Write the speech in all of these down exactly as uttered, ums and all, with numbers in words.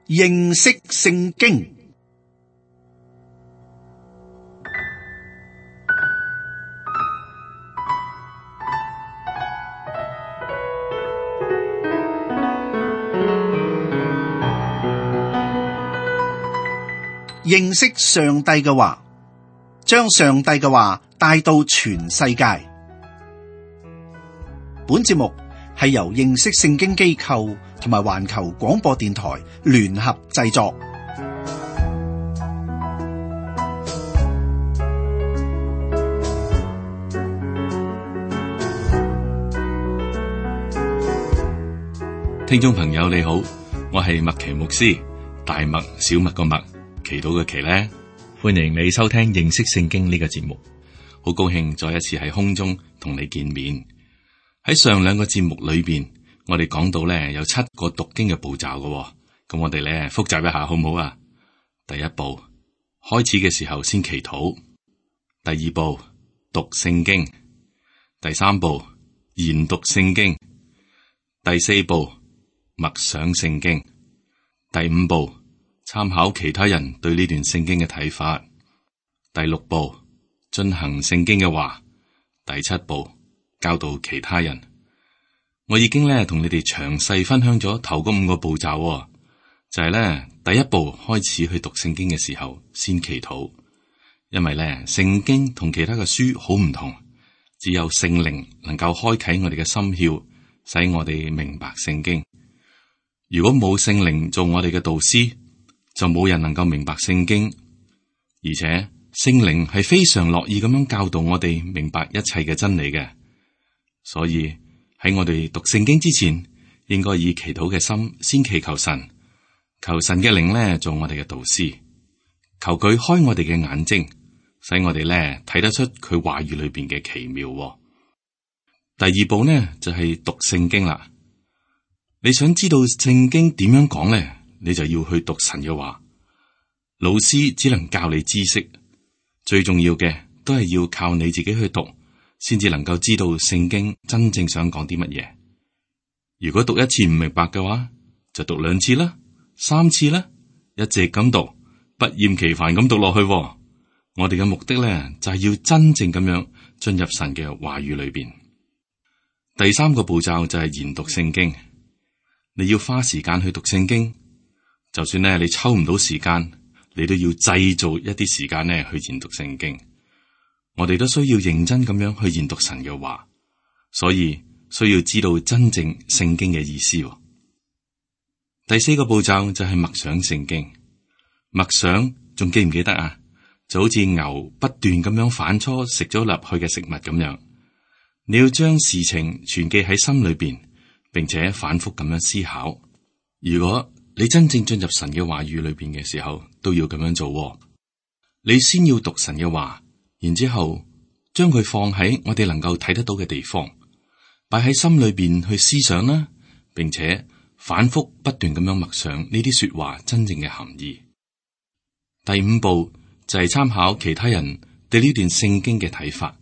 認識聖經。認識上帝嘅話，將上帝嘅話帶到全世界。本節目係由認識聖經機構同埋環球廣播電台聯合製作。聽眾朋友你好，我係麥奇牧師，大麥小麥個麥，祈禱嘅祈咧，歡迎你收聽認識聖經呢個節目。好高興再一次喺空中同你見面。喺上兩個節目裏邊，我哋講到咧有七個讀經嘅步驟嘅，咁我哋咧複習一下好唔好啊？第一步，開始嘅時候先祈禱；第二步，讀聖經；第三步，研讀聖經；第四步，默想聖經；第五步，參考其他人對呢段聖經嘅睇法；第六步，進行聖經嘅話；第七步，教導其他人。我已經咧同你哋詳細分享咗頭嗰五個步驟，就係咧第一步開始去讀聖經嘅時候先祈禱，因為咧聖經同其他嘅書好唔同，只有聖靈能夠開啟我哋嘅心竅，使我哋明白聖經。如果冇聖靈做我哋嘅導師，就冇人能夠明白聖經。而且聖靈係非常樂意咁樣教導我哋明白一切嘅真理嘅。所以喺我哋讀聖經之前，應該以祈禱嘅心先祈求神，求神嘅靈咧做我哋嘅導師，求佢開我哋嘅眼睛，使我哋咧睇得出佢話語裏邊嘅奇妙。第二步呢就係讀聖經啦。你想知道聖經點樣講咧，你就要去讀神嘅話。老師只能教你知識，最重要嘅都係要靠你自己去讀，先至能夠知道聖經真正想講啲乜嘢。如果讀一次唔明白嘅話，就讀兩次啦，三次啦，一直咁讀，不厭其煩咁讀落去。我哋嘅目的咧，就係要真正咁樣進入神嘅話語裏邊。第三個步驟就係研讀聖經。你要花時間去讀聖經，就算咧你抽唔到時間，你都要製造一啲時間咧去研讀聖經。我哋都需要認真咁樣去研讀神嘅話，所以需要知道真正聖經嘅意思。第四個步驟就係默想聖經。默想仲記唔記得啊？就好似牛不斷咁樣反芻食咗入去嘅食物咁樣，你要將事情存記喺心裏邊，並且反覆咁樣思考。如果你真正進入神嘅話語裏邊嘅時候，都要咁樣做。你先要讀神嘅話，然之後將佢放喺我哋能夠睇得到嘅地方，擺喺心裏邊去思想啦，並且反覆不斷咁樣默想呢啲說話真正嘅含義。第五步就係參考其他人對呢段聖經嘅睇法。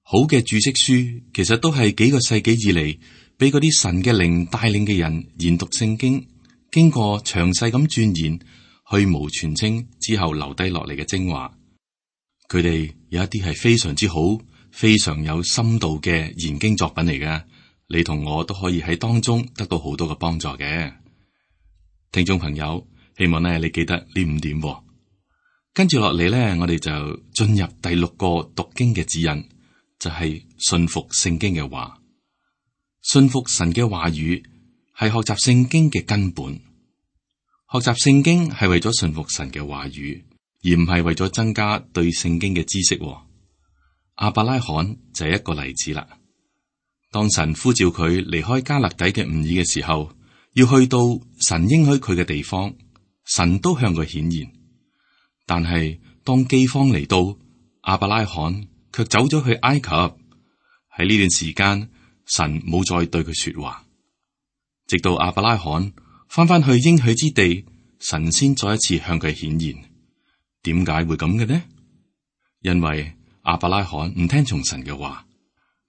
好嘅注釋書其實都係幾個世紀以嚟俾嗰啲神嘅靈帶領嘅人研讀聖經，經過詳細咁鑽研，去蕪存菁之後留低落嚟嘅精華。佢哋有一啲係非常之好，非常有深度嘅研經作品嚟嘅，你同我都可以喺當中得到好多嘅幫助嘅。聽眾朋友，希望咧你記得呢五點。跟住落嚟咧，我哋就進入第六個讀經嘅指引，就係信服聖經嘅話。信服神嘅話語係學習聖經嘅根本。學習聖經係為咗信服神嘅話語，而唔係為咗增加對聖經嘅知識。亞伯拉罕就係一個例子啦。當神呼召佢離開迦勒底嘅吾爾嘅時候，要去到神應許佢嘅地方，神都向佢顯現。但係當饑荒嚟到，亞伯拉罕卻走咗去埃及。喺呢段時間，神冇再對佢說話，直到亞伯拉罕翻返去應許之地，神先再一次向佢顯現。點解會咁嘅呢？因為亞伯拉罕唔聽從神嘅話，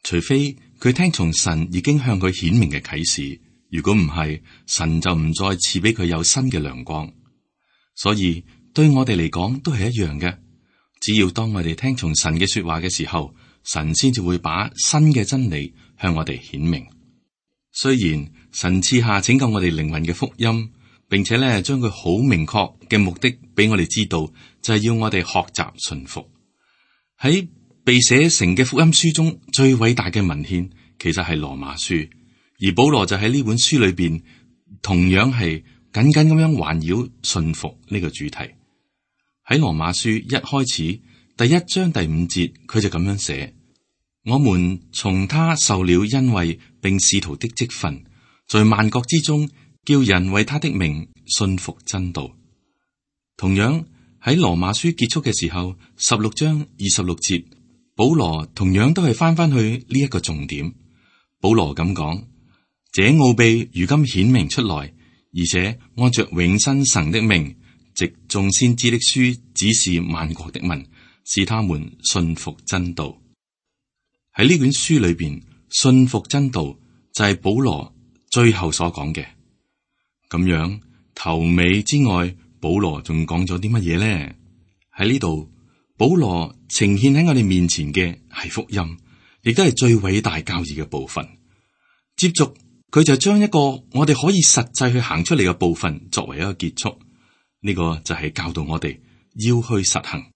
除非佢聽從神已經向佢顯明嘅啟示，如果唔係，神就唔再賜俾佢有新嘅亮光。所以對我哋嚟講都係一樣嘅。只要當我哋聽從神嘅說話嘅時候，神先至會把新嘅真理向我哋顯明。雖然神賜下拯救我哋靈魂嘅福音，並且咧將佢好明確嘅目的俾我哋知道，就係要我哋學習順服。喺被寫成嘅福音書中，最偉大嘅文獻其實係羅馬書，而保羅就喺呢本書裏邊同樣係緊緊咁樣環繞順服呢個主題。喺羅馬書一開始第一章第五節，佢就咁樣寫：我們從他受了恩惠並使徒的職分，在萬國之中叫人為他的名信服真道。同樣喺羅馬書結束嘅時候，十六章二十六節，保羅同樣都係翻翻去呢一個重點。保羅咁講：這奧秘如今顯明出來，而且按着永生神的命，藉眾先知的書指示萬國的民，使他們信服真道。喺呢卷書裏邊，信服真道就係保羅最後所講嘅。咁樣頭尾之外，保羅仲講咗啲乜嘢咧？喺呢度，保羅呈現喺我哋面前嘅係福音，亦都係最偉大教義嘅部分。接續佢就將一個我哋可以實際去行出嚟嘅部分作為一個結束。呢個就係教導我哋要去實行。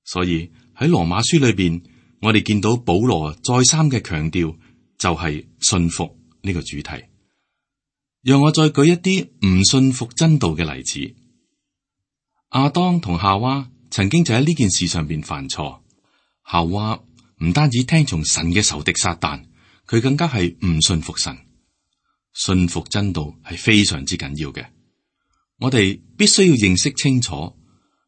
所以喺羅馬書裏邊，我哋見到保羅再三嘅強調，就係信服呢個主題。讓我再舉一啲唔信服真道嘅例子。亞當同夏娃曾經就喺呢件事上邊犯錯。夏娃唔單止聽從神嘅仇敵撒旦，佢更加係唔信服神。信服真道係非常之緊要嘅。我哋必須要認識清楚，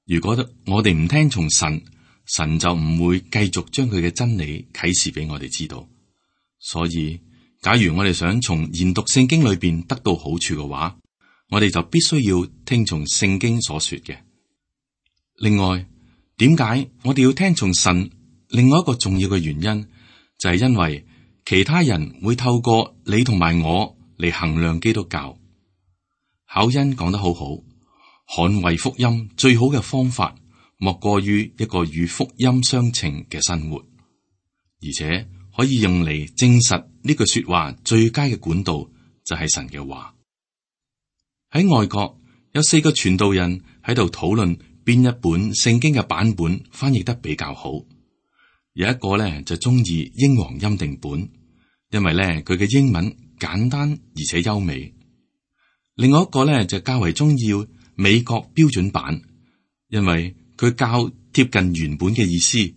如果我哋唔聽從神，神就唔會繼續將佢嘅真理啟示俾我哋知道。所以，假如我哋想從研讀聖經裏邊得到好處嘅話，我哋就必須要聽從聖經所說嘅。另外，點解我哋要聽從神？另外一個重要嘅原因就係因為其他人會透過你同埋我嚟衡量基督教。考恩講得好好，捍衛福音最好嘅方法莫過於一個與福音相稱嘅生活，而且可以用嚟證實呢句說話最佳嘅管道就係神嘅話。喺外國有四個傳道人喺度討論邊一本聖經嘅版本翻譯得比較好。有一個咧就中意英皇欽定本，因為咧佢嘅英文簡單而且優美。另外一個咧就較為中意美國標準版，因為佢較貼近原本嘅意思，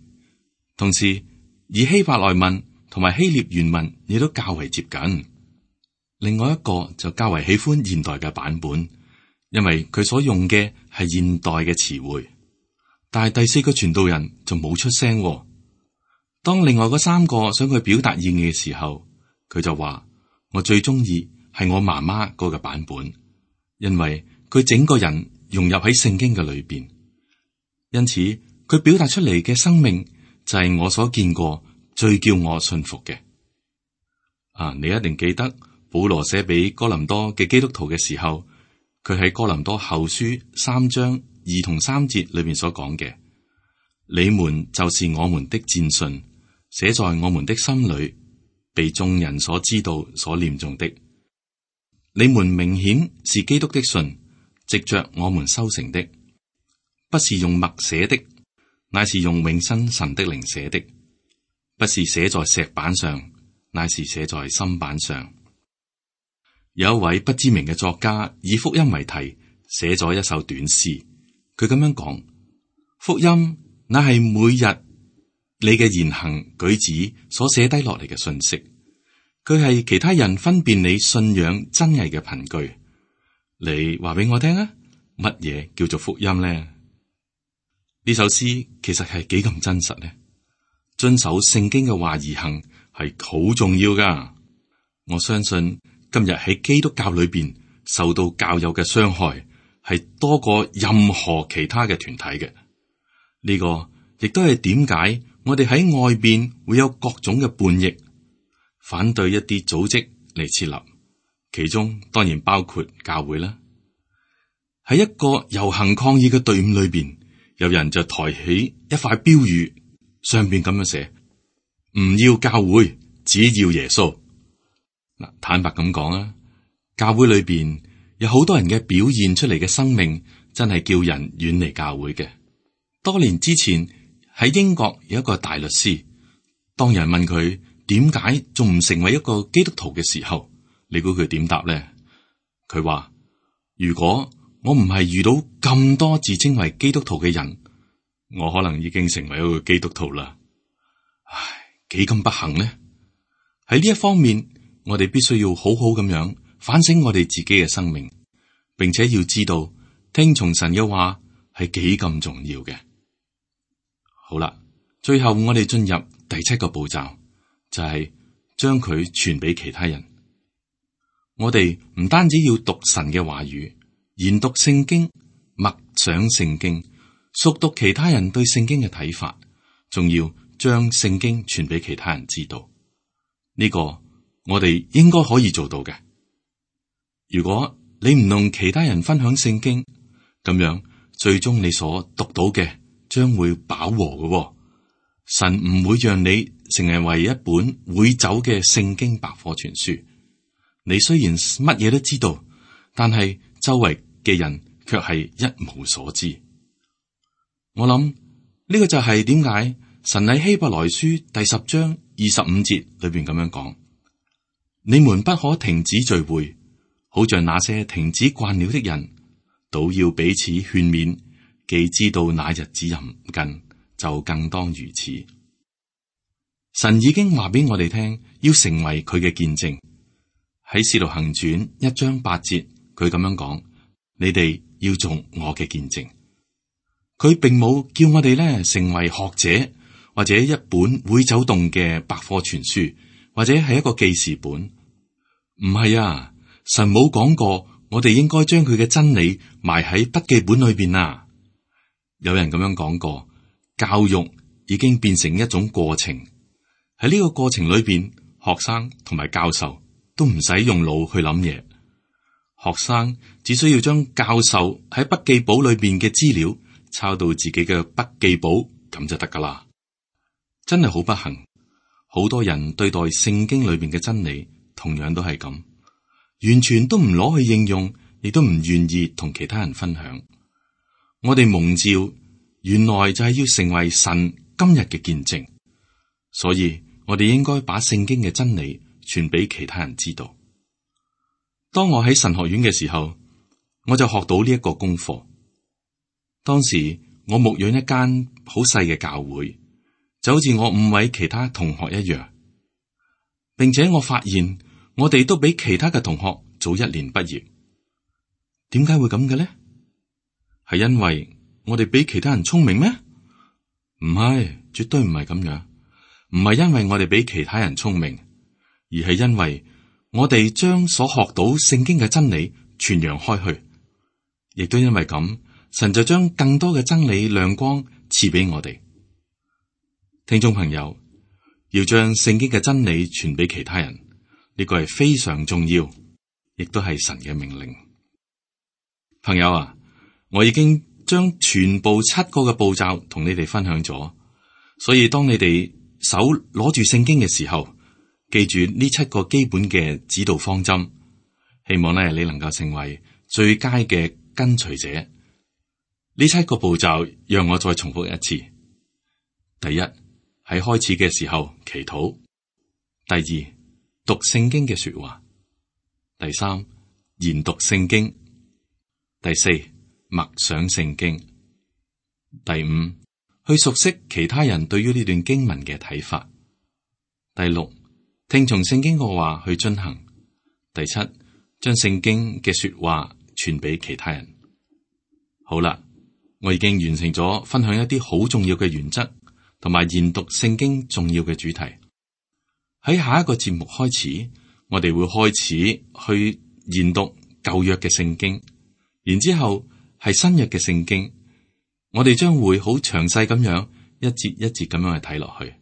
同時以希伯來文同埋希臘原文亦都較為接近。另外一個就較為喜歡現代嘅版本，因為佢所用嘅係現代嘅詞彙。但係第四個傳道人就冇出聲。當另外嗰三個想佢表達意義嘅時候，佢就話：我最中意係我媽媽嗰個版本，因為佢整個人融入喺聖經嘅裏邊，因此佢表達出嚟嘅生命就係我所見過最叫我信服嘅。啊，你一定記得保羅寫俾哥林多嘅基督徒嘅時候，佢喺哥林多後書三章二同三節裏面所講嘅：你們就是我們的薦信，寫在我們的心裏，被眾人所知道、所念誦的。你們明顯是基督的信，藉着我們修成的，不是用墨寫的，乃是用永生神的靈寫的；不是寫在石板上，乃是寫在心板上。有一位不知名嘅作家以福音為題，寫咗一首短詩。佢咁樣講：福音乃係每日你嘅言行舉止所寫低落嚟嘅信息，佢係其他人分辨你信仰真偽嘅憑據。你話俾我聽啊，乜嘢叫做福音呢？呢首詩其實係幾咁真實呢？遵守聖經嘅話而行係好重要噶。我相信今日喺基督教裏邊受到教友嘅傷害係多過任何其他嘅團體嘅。呢個亦都係點解我哋喺外邊會有各種嘅叛逆，反對一啲組織嚟設立，其中當然包括教會啦。喺一個遊行抗議嘅隊伍裏邊，有人就抬起一塊標語，上邊咁樣寫：唔要教會，只要耶穌。嗱，坦白咁講啊，教會裏邊有好多人嘅表現出嚟嘅生命，真係叫人遠離教會嘅。多年之前喺英國有一個大律師，當人問佢點解仲唔成為一個基督徒嘅時候，你估佢點答咧？佢話：如果我唔係遇到咁多自稱為基督徒嘅人，我可能已經成為一個基督徒啦。唉，幾咁不幸呢？喺呢一方面，我哋必須要好好咁樣反省我哋自己嘅生命，並且要知道聽從神嘅話係幾咁重要嘅。好啦，最後我哋進入第七個步驟，就係將佢傳俾其他人。我哋唔單止要讀神嘅話語，研讀聖經，默想聖經，熟讀其他人對聖經嘅睇法，仲要將聖經傳俾其他人知道。呢個我哋應該可以做到嘅。如果你唔同其他人分享聖經，咁樣最終你所讀到嘅將會飽和嘅。神唔會讓你成為一本會走嘅聖經百科全書。你雖然乜嘢都知道，但係周圍嘅人卻係一無所知。我諗呢個就係點解神喺希伯來書第十章二十五節裏邊咁樣講：你們不可停止聚會，好像那些停止慣了的人，倒要彼此勸勉。既知道那日子臨近，就更當如此。神已經話俾我哋聽，要成為佢嘅見證。喺使徒行傳一章八節，佢咁樣講：你哋要做我嘅見證。佢並冇叫我哋咧成為學者，或者一本會走動嘅百科全書，或者係一個記事本。唔係啊，神冇講過我哋應該將佢嘅真理埋喺筆記本裏邊啊。有人咁樣講過，教育已經變成一種過程。喺呢個過程裏邊，學生同埋教授都唔使用腦去諗嘢。學生只需要將教授喺筆記簿裏邊嘅資料抄到自己嘅筆記簿，咁就得噶啦。真係好不幸，好多人對待聖經裏邊嘅真理，同樣都係咁，完全都唔攞去應用，亦都唔願意同其他人分享。我哋蒙召，原來就係要成為神今日嘅見證，所以我哋應該把聖經嘅真理傳俾其他人知道。當我喺神學院嘅時候，我就學到呢一個功課。當時我牧養一間好細嘅教會，就好似我五位其他同學一樣，並且我發現我哋都比其他嘅同學早一年畢業。點解會咁嘅咧？係因為我哋比其他人聰明咩？唔係，絕對唔係咁樣。唔係因為我哋比其他人聰明，而係因為我哋將所學到聖經嘅真理傳揚開去，亦都因為咁，神就將更多嘅真理亮光賜俾我哋。聽眾朋友，要將聖經嘅真理傳俾其他人，呢個係非常重要，亦都係神嘅命令。朋友啊，我已經將全部七個嘅步驟同你哋分享咗，所以當你哋手攞住聖經嘅時候，記住呢七個基本嘅指導方針，希望咧你能夠成為最佳嘅跟隨者。呢七個步驟，讓我再重複一次。第一，喺開始嘅時候祈禱；第二，讀聖經嘅說話；第三，研讀聖經；第四，默想聖經；第五，去熟悉其他人對於呢段經文嘅睇法；第六，聽從聖經嘅話去遵行；第七，將聖經嘅說話傳俾其他人。好啦，我已經完成咗分享一啲好重要嘅原則，同埋研讀聖經重要嘅主題。喺下一個節目開始，我哋會開始去研讀舊約嘅聖經，然之後係新約嘅聖經。我哋將會好詳細咁樣一節一節咁樣去睇落去。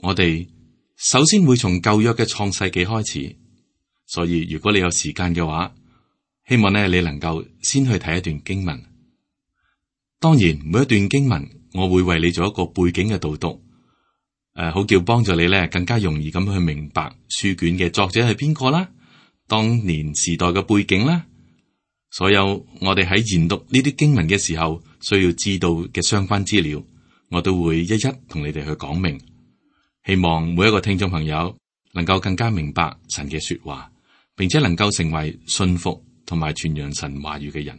我哋首先會從舊約嘅創世紀開始，所以如果你有時間嘅話，希望咧你能夠先去睇一段經文。當然，每一段經文我會為你做一個背景嘅導讀，誒、呃，好叫幫助你咧更加容易咁去明白書卷嘅作者係邊個啦，當年時代嘅背景啦，所有我哋喺研讀呢啲經文嘅時候需要知道嘅相關資料，我都會一一同你哋去講明。希望每一個聽眾朋友能夠更加明白神嘅說話，並且能夠成為信服同埋傳揚神話語嘅人。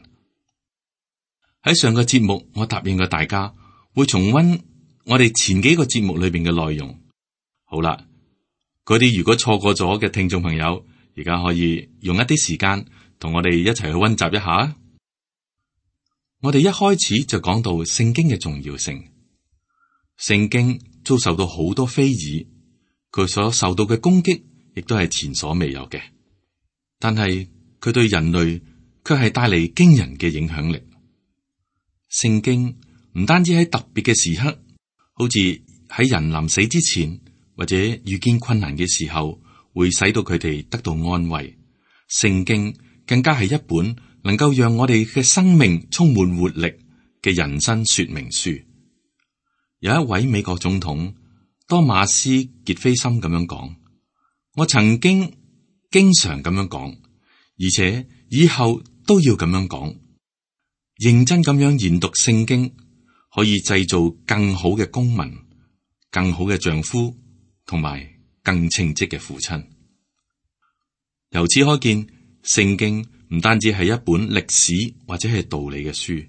喺上個節目，我答應過大家會重溫我哋前幾個節目裏邊嘅內容。好啦，嗰啲如果錯過咗嘅聽眾朋友，而家可以用一啲時間同我哋一齊去溫習一下。我哋一開始就講到聖經嘅重要性。聖經遭受到好多非議，佢所受到嘅攻擊亦都係前所未有嘅。但係佢對人類卻係帶嚟驚人嘅影響力。聖經唔單止喺特別嘅時刻，好似喺人臨死之前或者遇見困難嘅時候，會使到佢哋得到安慰。聖經更加係一本能夠讓我哋嘅生命充滿活力嘅人生說明書。有一位美國總統多馬斯傑菲森咁樣講：我曾經經常咁樣講，而且以後都要咁樣講。認真咁樣研讀聖經，可以製造更好嘅公民、更好嘅丈夫，同埋更稱職嘅父親。由此可見，聖經唔單止係一本歷史或者係道理嘅書，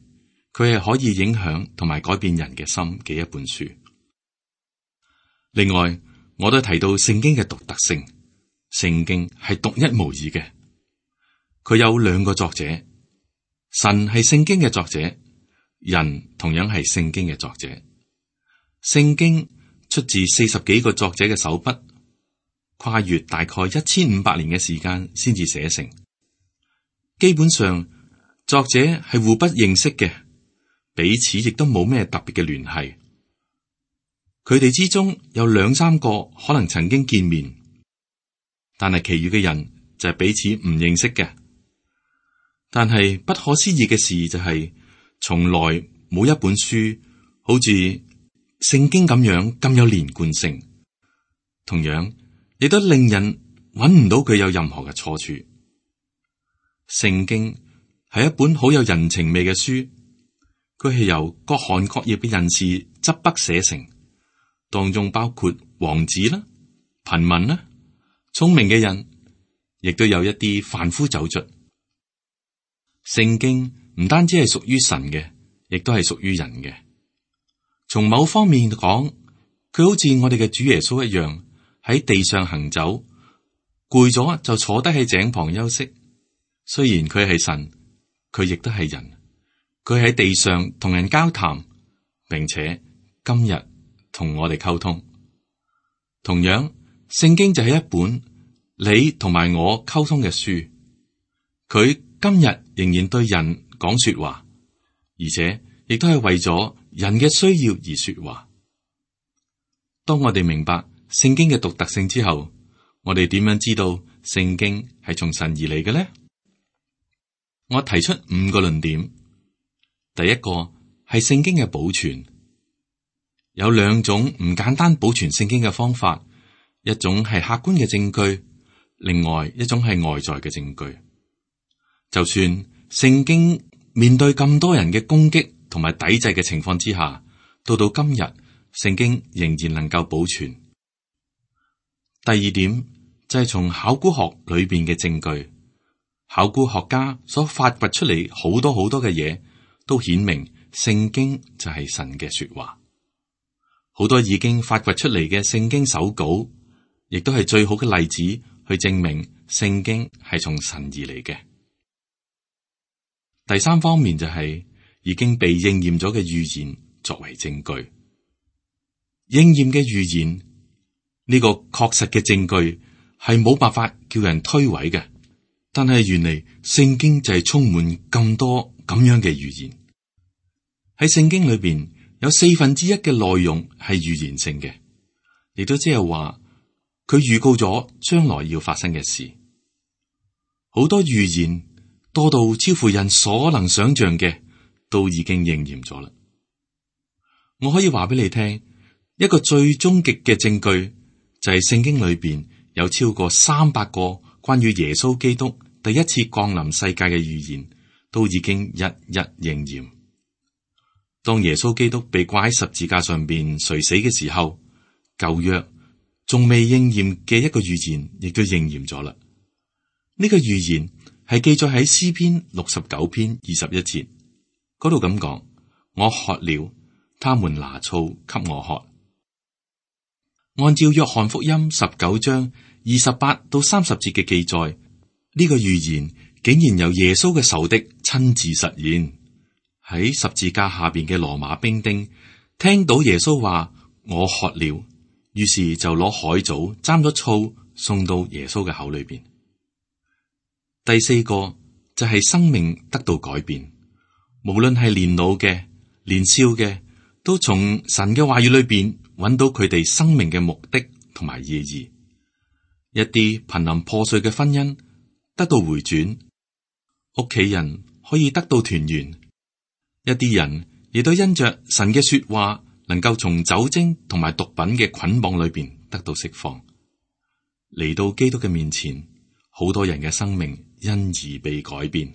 佢係可以影響同埋改變人嘅心嘅一本書。另外，我都提到聖經嘅獨特性，聖經係獨一無二嘅，佢有兩個作者。神係聖經嘅作者，人同樣係聖經嘅作者。聖經出自四十幾個作者嘅手筆，跨越大概一千五百年嘅時間先至寫成。基本上，作者係互不認識嘅，彼此亦都冇咩特別嘅聯繫。佢哋之中有兩三個可能曾經見面，但係其餘嘅人就係彼此唔認識嘅。但係不可思議嘅事就係、是，從來冇一本書好似聖經咁樣咁有連貫性，同樣亦都令人揾唔到佢有任何嘅錯處。聖經係一本好有人情味嘅書，佢係由各行各業嘅人士執筆寫成，當中包括王子啦、貧民啦、聰明嘅人，亦都有一啲販夫走卒。聖經唔單止係屬於神嘅，亦都係屬於人嘅。從某方面講，佢好似我哋嘅主耶穌一樣，喺地上行走，攰咗就坐低喺井旁休息。雖然佢係神，佢亦都係人。佢喺地上同人交談，並且今日同我哋溝通。同樣，聖經就係一本你同埋我溝通嘅書。佢今日仍然對人講說話，而且亦都係為咗人嘅需要而說話。當我哋明白聖經嘅獨特性之後，我哋點樣知道聖經係從神而嚟嘅呢？我提出五個論點。第一個係聖經嘅保存，有兩種唔簡單保存聖經嘅方法，一種係客觀嘅證據，另外一種係外在嘅證據。就算聖經面對咁多人嘅攻擊同埋抵制嘅情況之下，到到今日，聖經仍然能夠保存。第二點就係從考古學裏邊嘅證據，考古學家所發掘出嚟好多好多嘅嘢，都顯明聖經就係神嘅說話。好多已經發掘出嚟嘅聖經手稿，亦都係最好嘅例子去證明聖經係從神而嚟嘅。第三方面就係已經被應驗咗嘅預言作為證據，應驗嘅預言呢個確實嘅證據係冇辦法叫人推諉嘅。但係原嚟聖經就係充滿咁多咁樣嘅預言。喺聖經裏邊有四分之一嘅內容係預言性嘅，亦都即係話佢預告咗將來要發生嘅事。好多預言多到超乎人所能想象嘅，都已經應驗咗啦。我可以話俾你聽，一個最終極嘅證據就係聖經裏邊有超過三百個關於耶穌基督第一次降臨世界嘅預言，都已經一一應驗。當耶穌基督被掛喺十字架上邊垂死嘅時候，舊約仲未應驗嘅一個預言亦都應驗咗啦。呢個預言係記載喺詩篇六十九篇二十一節嗰度咁講：我渴了，他們拿醋給我喝。按照約翰福音十九章二十八到三十節嘅記載，呢個預言竟然由耶穌嘅仇敵親自實現。喺十字架下邊嘅羅馬兵丁聽到耶穌話我渴了，於是就攞海藻沾咗醋送到耶穌嘅口裏邊。第四個就係生命得到改變，無論係年老嘅、年少嘅，都從神嘅話語裏邊揾到佢哋生命嘅目的同埋意義。一啲瀕臨破碎嘅婚姻得到回轉，屋企人可以得到團圓，一啲人亦都因着神嘅說話，能夠從酒精同埋毒品嘅捆綁裏邊得到釋放，嚟到基督嘅面前，好多人嘅生命因而被改變。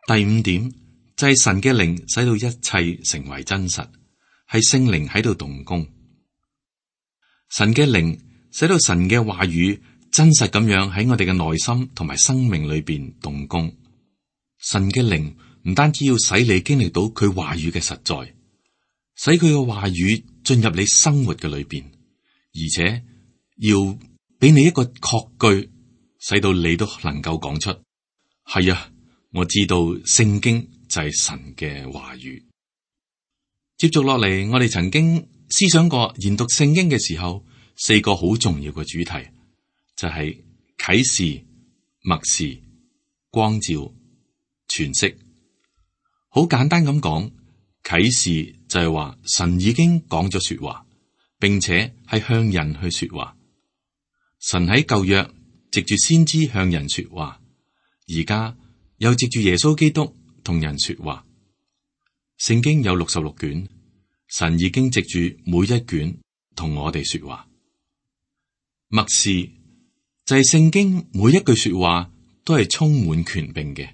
第五點就係神嘅靈使到一切成為真實，係聖靈喺度動工。神嘅靈使到神嘅話語真實咁樣喺我哋嘅內心同埋生命裏邊動工。神嘅靈唔單止要使你經歷到佢話語嘅實在，使佢嘅話語進入你生活嘅裏邊，而且要俾你一個確據，使到你都能夠講出係啊，我知道聖經就係神嘅話語。接續落嚟，我哋曾經思想過研讀聖經嘅時候，四個好重要嘅主題就係啟示、默示、光照、詮釋。好簡單咁講，啟示就係話神已經講咗說話，並且係向人去說話。神喺舊約藉住先知向人說話，而家又藉住耶穌基督同人說話。聖經有六十六卷，神已經藉住每一卷同我哋說話。默示就係聖經每一句說話都係充滿權柄嘅。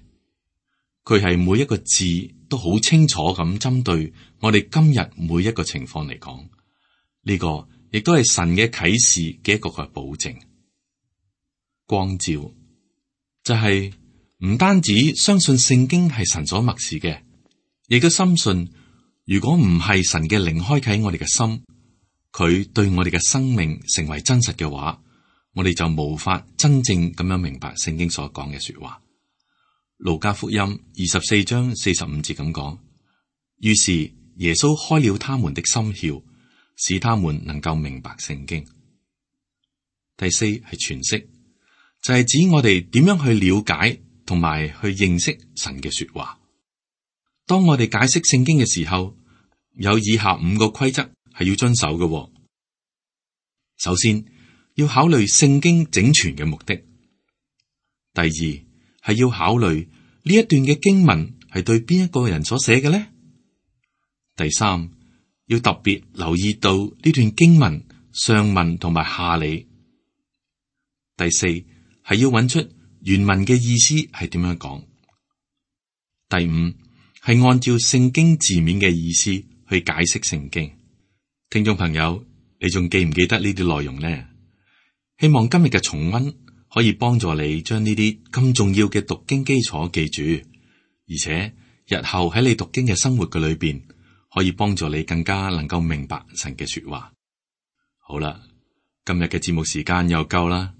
佢係每一個字都好清楚咁針對我哋今日每一個情況嚟講，呢個亦都係神嘅啟示嘅一個嘅保證。光照就係唔單止相信聖經係神所默示嘅，亦都深信如果唔係神嘅靈開啟我哋嘅心，佢對我哋嘅生命成為真實嘅話，我哋就無法真正咁樣明白聖經所講嘅說話。路加福音二十四章四十五節咁講，於是耶穌開了他們的心竅，使他們能夠明白聖經。第四係詮釋，就係、是、指我哋點樣去了解同埋去認識神嘅說話。當我哋解釋聖經嘅時候，有以下五個規則係要遵守嘅。首先，要考慮聖經整全嘅目的。第二，係要考慮呢一段嘅經文係對邊一個人所寫嘅呢？第三，要特別留意到呢段經文上文同埋下理。第四，係要揾出原文嘅意思係點樣講。第五，係按照聖經字面嘅意思去解釋聖經。聽眾朋友，你仲記唔記得呢啲內容呢？希望今日嘅重溫可以幫助你將呢啲咁重要嘅讀經基礎記住，而且日後喺你讀經嘅生活嘅裏邊，可以幫助你更加能夠明白神嘅說話。好啦，今日嘅節目時間又夠啦。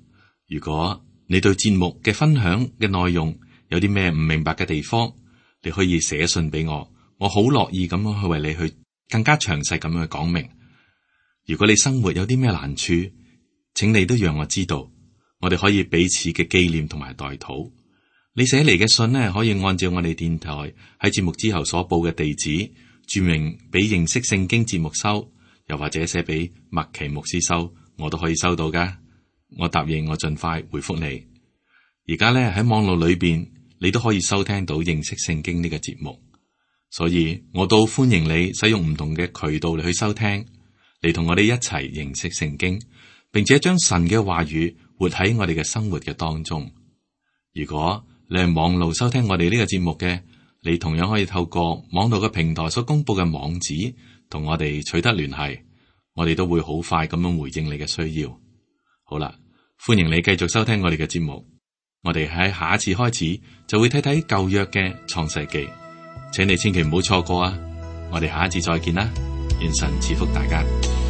如果你對節目嘅分享嘅內容有啲咩唔明白嘅地方，你可以寫信俾我，我好樂意咁樣去為你去更加詳細咁樣去講明。如果你生活有啲咩難處，請你都讓我知道。我哋可以彼此嘅紀念同埋代禱。你寫嚟嘅信呢，可以按照我哋電台喺節目之後所報嘅地址，注明俾認識聖經節目收，又或者寫俾麥奇牧師收，我都可以收到噶。我答應我盡快回覆你。而家咧喺網絡裏邊，你都可以收聽到認識聖經呢個節目，所以我都歡迎你使用唔同嘅渠道嚟去收聽，嚟同我哋一齊認識聖經，並且將神嘅話語活喺我哋嘅生活嘅當中。如果你係網路收聽我哋呢個節目嘅，你同樣可以透過網絡嘅平台所公布嘅網址，同我哋取得聯繫，我哋都會好快咁樣回應你嘅需要。好啦，歡迎你繼續收聽我哋嘅節目。我哋喺下一次開始就會睇睇舊約嘅創世記，請你千祈唔好錯過啊！我哋下一次再見啦，願神賜福大家。